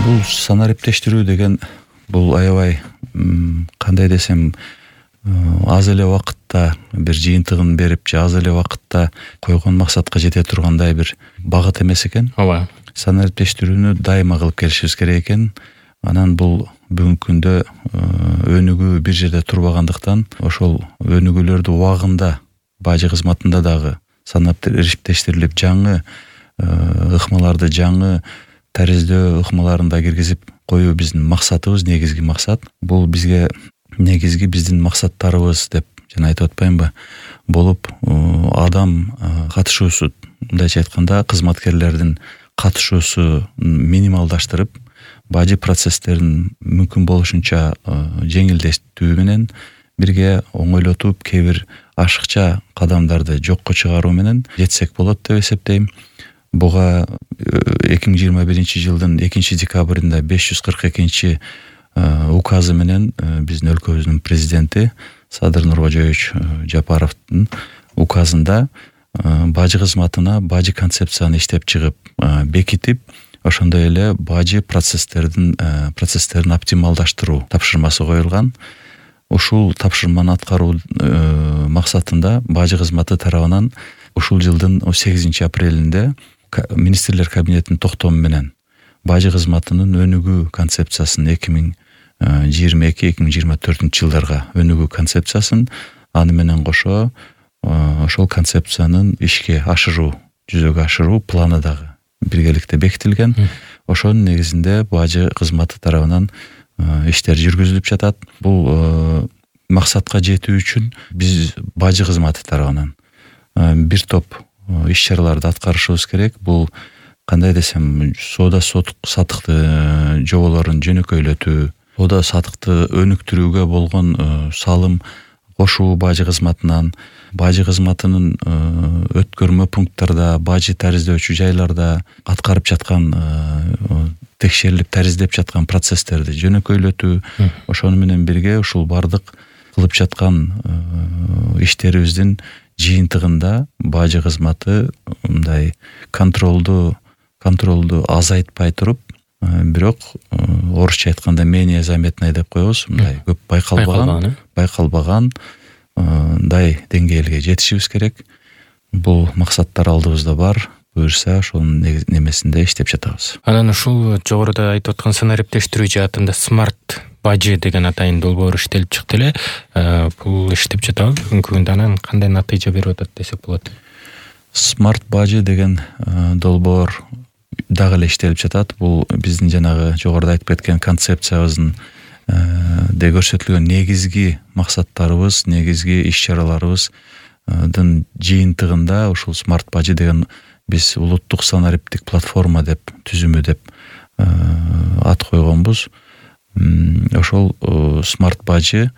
Бул санариптештирүү деген бул аябай кандай десем аз эле убакытта бир жыйынтыгын берип же аз эле убакытта койгон максатка жете тургандай бир багыт эмес экен. Ооба. Санариптештирүүнү дайыма кылып келишибиз керек экен. Анан бул бүгүнкү күндө өнүгүү бир жерде турбагандыктан ошол өнүгүүлөрдү убагында бажы кызматында дагы санариптештирилип жаңы ыкмаларды жаңы тариздөө ыкмаларын киргизип коюу биздин максатыбыз, негизги максат. Бул бизге негизги биздин максаттарыбыз деп жана айтып атпаймынбы болуп адам катышуусу, мындайча айтканда кызматкерлердин катышуусу минималдаштырып, бажы процесстерин мүмкүн болушунча жеңилдетүү менен бирге оңойлотуп, кээ бир ашыкча кадамдарды жокко чыгаруу менен жетсек болот деп эсептейм. Буга 2021 жылдын 2-декабрында 542 указы менен биздин өлкөбүздүн президенти Садыр Нуркожоевич Жапаровдун указында бажы кызматына бажы концепцияны иштеп чыгып бекитип, ошондой эле бажы процесстерин оптималдаштыруу тапшырмасы коюлган. Ушул тапшырманы аткаруу максатында бажы кызматы тарабынан ушул жылдын 8 апрелинде министрлер кабинетинин токтому менен бажы кызматынын өнүгүү концепциясын 2022-2024 жылдарга өнүгүү концепциясын аны менен кошо ошол концепциянын ишке ашыруу, жүзөгө ашыруу планы дагы биргеликте бекитилген. Ошонун негизинде бажы кызматы тарабынан иштер жүргүзүлүп жатат. Бул максатка жетүү үчүн биз бажы кызматы тарабынан бир топ иш-чараларды аткарышыбыз керек. Бул кандай десем, соода сатыкты жоболорун жөнөкөйлөтүү, соода сатыкты өнүктүрүүгө болгон салым кошуу бажы кызматынан, бажы кызматынын өткөрмө пункттарда, бажы тариздөөчү жайларда аткарып жаткан текшерилип тариздеп жаткан процесстерди жөнөкөйлөтүү, ошону менен бирге ушул бардык кылып жаткан иштерибиздин жыйынтыгында бажы кызматы мындай контролду азайтпай туруп, бирок орусча айтканда менее заметный деп коебуз, мындай көп байкалбаган деңгээлге жетишибиз керек. Бул максаттар алдыбызда бар. Буюрса ошонун немесинде иштеп жатабыз. Анан ушул жогоруда айтып аткан санариптештирүү жаатында смарт бажы деген атайын долбоор иштелип чыкты эле. Бул иштеп жатабы бүгүнкү күндө? Анан кандай натыйжа берип атат десек болот? Смарт бажы деген долбоор дагы эле иштелип жатат. Бул биздин жанагы жогоруда айтып кеткен концепциябыздын көрсөтүлгөн негизги максаттарыбыз, негизги иш-чараларыбыздын жыйынтыгында ушул смарт бажы деген биз улуттук санариптик платформа деп түзүмү деп ат койгонбуз. Ошол смарт бажы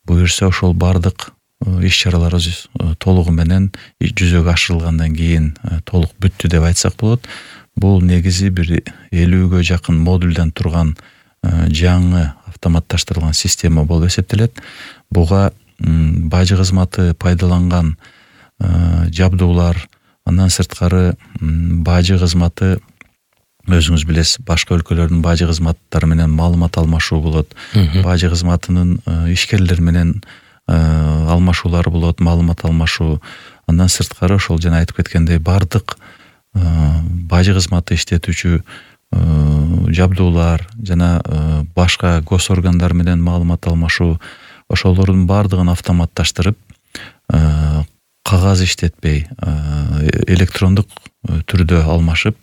буюрса ошол бардык иш-чараларыбыз толугу менен жүзөгө ашырылгандан кийин толук бүттү деп айтсак болот. Бул негизи бир 50гө жакын модулдан турган жаңы автоматташтырылган система болуп эсептелет. Буга бажы кызматы пайдаланган жабдуулар, андан сырткары бажы кызматы өзүңүз билесиз, башка өлкөлөрдүн бажы кызматтары менен маалымат алмашуу болот. Бажы кызматынын ишкерлер менен алмашуулары болот, маалымат алмашуу. Андан сырткары ошол жана айтып кеткендей бардык бажы кызматы иштетүүчү жабдуулар жана башка гос органдар менен маалымат алмашуу, ошолордун бардыгын автоматташтырып, кагаз иштетпей, электрондук түрдө алмашып,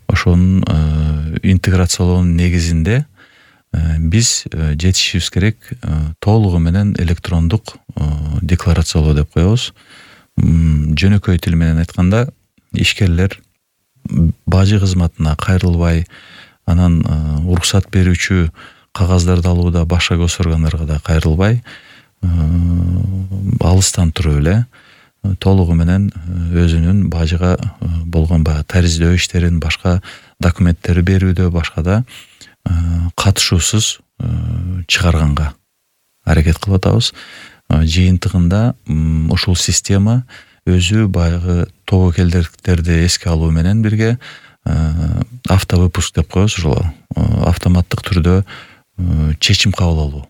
ошонун интеграциялоонун негизинде биз жетишибиз керек толугу менен электрондук декларациялоо деп коебуз. Жөнөкөй тил менен айтканда, ишкерлер бажы кызматына кайрылбай, анан уруксат берүүчү кагаздарды алууда башка гос органдарга да кайрылбай, алыстан туруп эле толугу менен өзүнүн бажыга болгон баягы тариздөө иштерин, башка документтери берүүдө, башкада катышуусуз чыгарганга аракет кылып атабыз. Жыйынтыгында ушул система өзү баягы тобокелдерди эске алуу менен бирге автовыпуск деп коебуз, ошол автоматтык түрдө чечим кабыл алуу.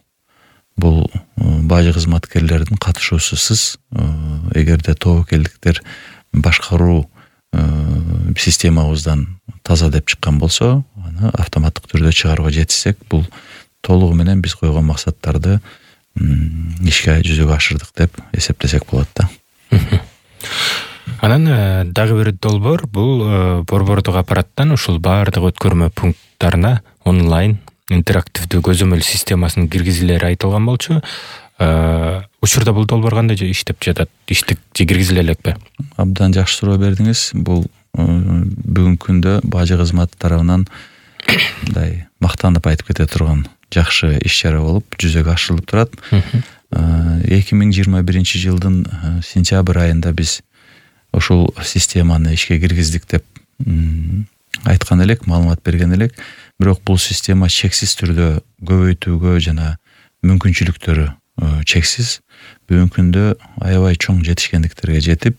Бул бажы кызматкерлердин катышуусусуз эгерде тобокелдиктер башкаруу системабыздан таза деп чыккан болсо, аны автоматтык түрдө чыгарууга жетишсек, бул толугу менен биз койгон максаттарды ишке жүзөгө ашырдык деп эсептесек болот да. Анан дагы бир долбоор бул борбордук аппараттан ушул баардык өткөрмө пункттарына онлайн интерактивдүү көзөмөл системасын киргизилери айтылган болчу. Учурда бул долбоор кандай иштеп жатат? Иштик же киргизиле элекпи? Абдан жакшы суроо бердиңиз. Бул бүгүнкү күндө бажы кызматы тарабынан мындай мактанып айтып кете турган жакшы иш-чара болуп жүзөгө ашырылып турат. 2021 жылдын сентябрь айында биз ушул системаны ишке киргиздик деп айткан элек, маалымат берген элек. Бирок бул система чексиз түрдө көбөйтүүгө жана мүмкүнчүлүктөрү чексиз. Бүгүнкү күндө аябай чоң жетишкендиктерге жетип,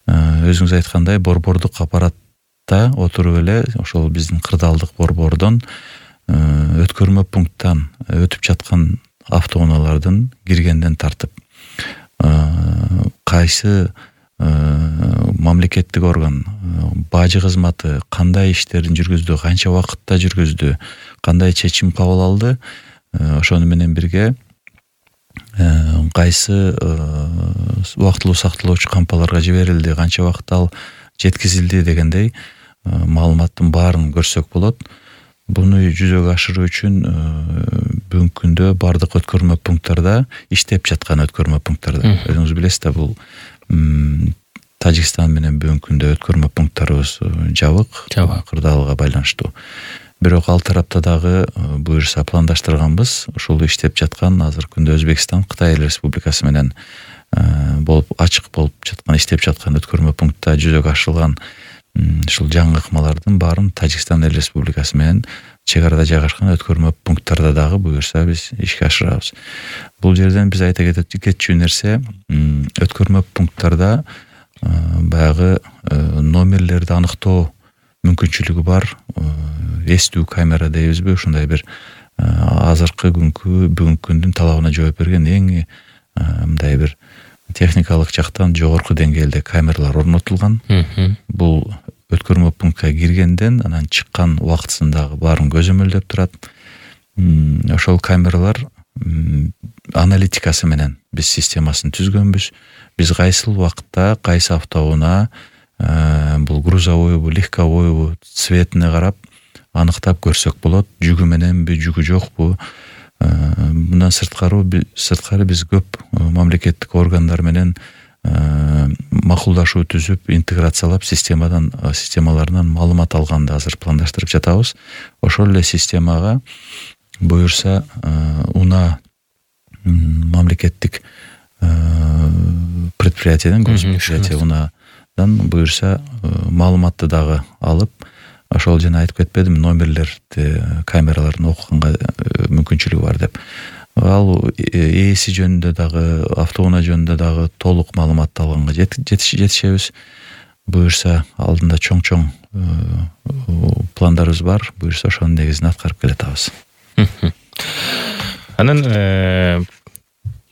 өзүңүз айткандай борбордук аппаратта отуруп эле ошол биздин кырдаалдык борбордон өткөрмө пункттан өтүп жаткан автоунаалардын киргенден тартып кайсы мамлекеттик орган бажы кызматы кандай иштерин жүргүздү, канча убакытта жүргүздү, кандай чечим кабыл алды, ошону менен бирге кайсы убактылуу сакталоочу кампаларга жиберилди, канча убакытта ал жеткизилди дегендей маалыматтын баарын көрсөк болот. Буну жүзөгө ашыруу үчүн бүгүнкү күндө бардык өткөрмө пункттарда, иштеп жаткан өткөрмө пункттарда, өзүңүз билесиз да, бул Тажикстан менен бүгүнкү күндө өткөрмө пункттарыбыз жабык, кырдаалга байланыштуу. Бирок ал тарапта дагы буюрса пландаштырганбыз, ушул иштеп жаткан азыркы күндө Өзбекстан, Кытай Республикасы менен болуп ачык болуп жаткан, иштеп жаткан өткөрмө пунктта жүзөгө ашырылган ушул жаңы ыкмалардын баарын Тажикстан Республикасы менен чек арада жайгашкан өткөрмө пункттарда дагы буюрса биз ишке ашырабыз. Бул жерден биз айта кетчү нерсе, өткөрмө пункттарда баягы номерлерди аныктоо мүмкүнчүлүгү бар эстүү камера дейбизби, ушундай бир азыркы бүгүнкү күндүн талабына жооп берген эң мындай бир техникалык жактан жогорку деңгээлде камералар орнотулган. Бул өткөрмө пунктка киргенден анан чыккан убактысындагы баарын көзөмөлдөп турат. Ошол камералар аналитикасы менен биз системасын түзгөнбүз. Биз кайсыл убакытта кайсы автоунаа бул грузовойбу, легковойбу цветине карап аныктап көрсөк болот, жүгү мененби, жүгү жокпу. Мындан сырткары биз көп мамлекеттик органдар менен макулдашуу түзүп, интеграциялап системаларынан маалымат алганды азыр пландаштырып жатабыз. Ошол эле системага буюрса унаа мамлекеттик предприятияден, госпредприятие унаадан буюрса маалыматты дагы алып, ошол жана айтып кетпедим, номерлерди, камераларын окуганга мүмкүнчүлүгү бар деп. Ал ээси жөнүндө дагы, автоунаа жөнүндө дагы толук маалыматты алганга жетишебиз. Буюрса алдында чоң пландарыбыз бар. Буюрса ошонун негизинде аткарып келатабыз. Анан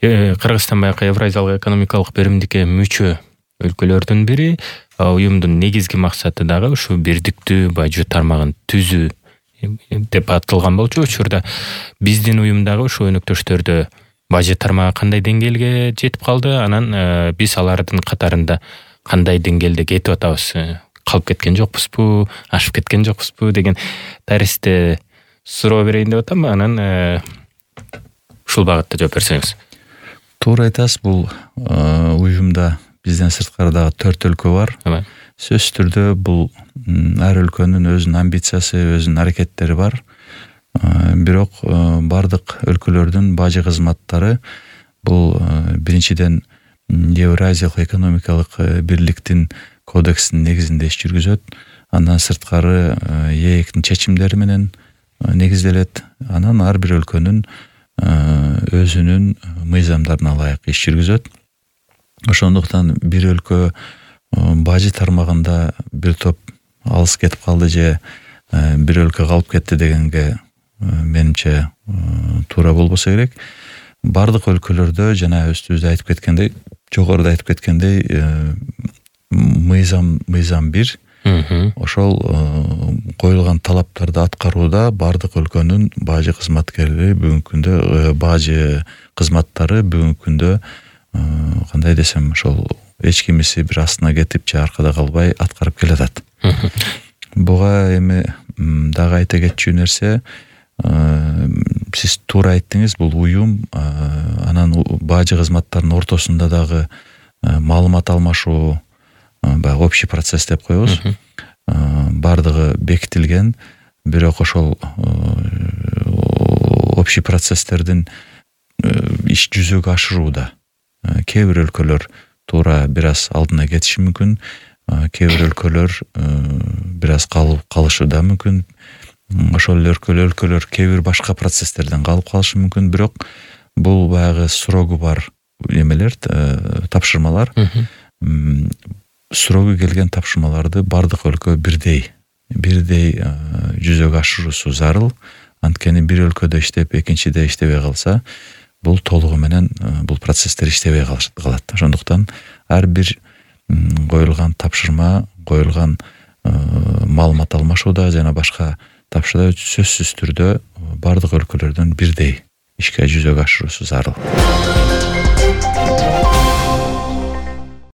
Кыргызстан баягы Евразиялык экономикалык беримдикке мүчө өлкөлөрдүн бири. Уюмдун негизги максаты дагы ушу бирдиктүү бажы тармагын түзүү деп аталган болчу. Учурда биздин уюм дагы ушу өнөктөштөрдө бажы тармагы кандай деңгээлге жетип калды, анан биз алардын катарында кандай деңгээлде кетип атабыз, калып кеткен жокпузбу, ашып кеткен жокпузбу деген тарихте суроо берейин деп атам. Анан ушул багытта жооп берсеңиз. Туура айтасыз, бул уюмда бизден сырткары дагы 4 өлкө бар. Сөзсүз түрдө бул ар өлкөнүн өзүнүн амбициясы, өзүнүн аракеттери бар. Бирок бардык өлкөлөрдүн бажы кызматтары бул биринчиден Евразиялык экономикалык бирликтин кодексинин негизинде иш жүргүзөт. Андан сырткары ЕЭКтин чечимдери менен негизделет. Анан ар бир өлкөнүн өзүнүн мыйзамдарына ылайык иш жүргүзөт. Ошондуктан бир өлкө бажы тармагында бир топ алыс кетип калды же бир өлкө калып кетти дегенге менимче туура болбосо керек. Бардык өлкөлөрдө жана өзүбүз айтып кеткендей, жогоруда айтып кеткендей мыйзам бир. Ошол коюлган талаптарды аткарууда бардык өлкөнүн бажы кызматкерлери бүгүнкү күндө бажы кызматтары бүгүнкү күндө кандай десем ошол эч кимиси бир астына кетип же аркада калбай аткарып келатат. Буга эми дагы айта кетчү нерсе, сиз туура айттыңыз, бул уюм анан бажы кызматтарынын ортосунда дагы маалымат алмашуу, баягы общий процесс деп коебуз. Бардыгы бекитилген, бирок ошол общий процесстердин иш жүзөгө ашырууда кээ бир өлкөлөр туура бир аз алдына кетиши мүмкүн, кээ бир өлкөлөр бир аз калышы да мүмкүн. Ошол эле өлкөлөр кээ бир башка процесстерден калып калышы мүмкүн, бирок бул баягы срогу бар эмелер, тапшырмалар. Срогу келген тапшырмаларды бардык өлкө бирдей жүзөгө ашыруусу зарыл. Анткени бир өлкөдө иштеп, экинчиде иштебей калса, бул толугу менен бул процесстер иштебей калат. Ошондуктан ар бир коюлган тапшырма, коюлган маалымат алмашууда жана башка тапшырда сөзсүз түрдө бардык өлкөлөрдөн бирдей ишке жүзөгө ашыруусу зарыл.